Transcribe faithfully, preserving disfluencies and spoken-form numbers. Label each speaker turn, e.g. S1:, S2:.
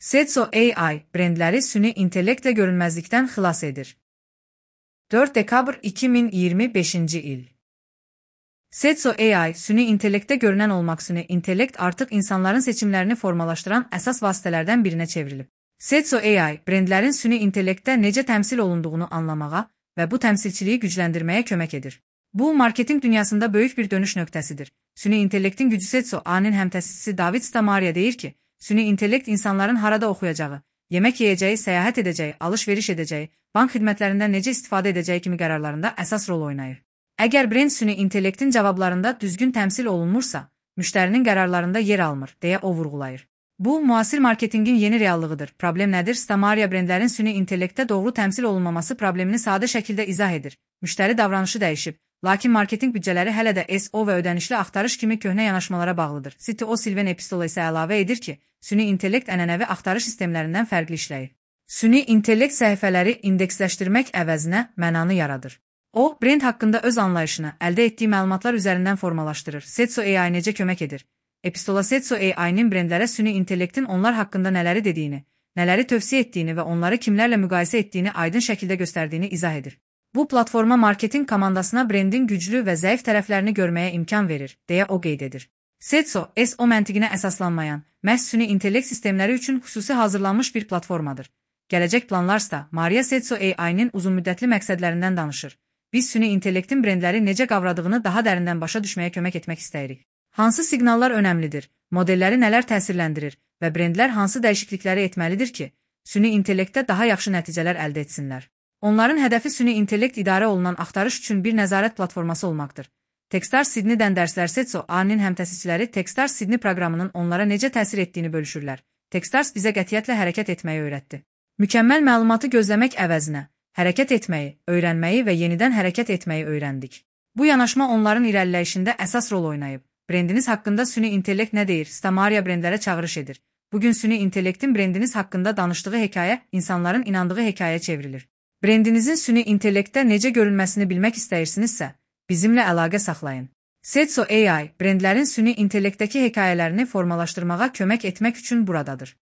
S1: Setso A I, brendləri süni intellektlə görünməzlikdən xilas edir. dörd dekabr iki min iyirmi beşinci il. Setso A I, süni intellektdə görünən olmaq süni intellekt artıq insanların seçimlərini formalaşdıran əsas vasitələrdən birinə çevrilib. Setso A I, brendlərin süni intellektdə necə təmsil olunduğunu anlamağa və bu təmsilçiliyi gücləndirməyə kömək edir. Bu, marketinq dünyasında böyük bir dönüş nöqtəsidir. Süni intellektin gücü Setso A I-nin həmtəsisçisi David Stamariya deyir ki, süni intellekt insanların harada oxuyacağı, yemək yeyəcəyi, səyahət edəcəyi, alış-veriş edəcəyi, bank xidmətlərindən necə istifadə edəcəyi kimi qərarlarında əsas rol oynayır. Əgər brend süni intellektin cavablarında düzgün təmsil olunmursa, müştərinin qərarlarında yer almır, deyə o vurğulayır. Bu, müasir marketinqin yeni reallığıdır. Problem nədir? Stamariya brendlərin süni intellektdə doğru təmsil olunmaması problemini sadə şəkildə izah edir. Müştəri davranışı dəyişib, lakin marketinq büdcələri hələ də S E O və ödənişli axtarış kimi köhnə yanaşmalara bağlıdır. C T O Silvan Epistola isə əlavə edir ki, süni intellekt ənənəvi axtarış sistemlərindən fərqli işləyir. Süni intellekt səhifələri indeksləşdirmək əvəzinə mənanı yaradır. O, brend haqqında öz anlayışını əldə etdiyi məlumatlar üzərindən formalaşdırır. Setso A I necə kömək edir? Epistola Setso A I-nin brendlərə süni intellektin onlar haqqında nələri dediyini, nələri tövsiyə etdiyini və onları kimlərlə müqayisə etdiyini aydın şəkildə göstərdiyini izah edir. Bu platforma marketinq komandasına brendin güclü və zəif tərəflərini görməyə imkan verir, deyə o qeyd edir. Setso, S E O məntiqinə əsaslanmayan, məhz süni intellekt sistemləri üçün xüsusi hazırlanmış bir platformadır. Gələcək planlarsa, Maria Setso A I-nin uzunmüddətli məqsədlərindən danışır. Biz süni intellektin brendləri necə qavradığını daha dərindən başa düşməyə kömək etmək istəyirik. Hansı siqnallar önəmlidir, modelləri nələr təsirləndirir və brendlər hansı dəyişiklikləri etməlidir ki, süni intellektdə daha yaxşı nəticələr əldə etsinlər. Onların hədəfi süni intellekt idarə olunan axtarış üçün bir nəzarət platforması olmaqdır. Techstars Sydney-dən dərslər Setso A I-nin həmtəsisçiləri Techstars Sydney proqramının onlara necə təsir etdiyini bölüşürlər. Techstars bizə qətiyyətlə hərəkət etməyi öyrətdi. Mükəmməl məlumatı gözləmək əvəzinə, hərəkət etməyi, öyrənməyi və yenidən hərəkət etməyi öyrəndik. Bu yanaşma onların irəliləyişində əsas rol oynayıb. Brendiniz haqqında süni intellekt nə deyir? Stamariya brendlərə çağırış edir. Bugün süni intellektin brendiniz haqqında danışdığı hekayə insanların inandığı hekayəyə çevrilir. Brendinizin süni intellektdə necə görünməsini bilmək istəyirsinizsə, bizimlə əlaqə saxlayın. Setso A I, brendlərin süni intellektdəki hekayələrini formalaşdırmağa kömək etmək üçün buradadır.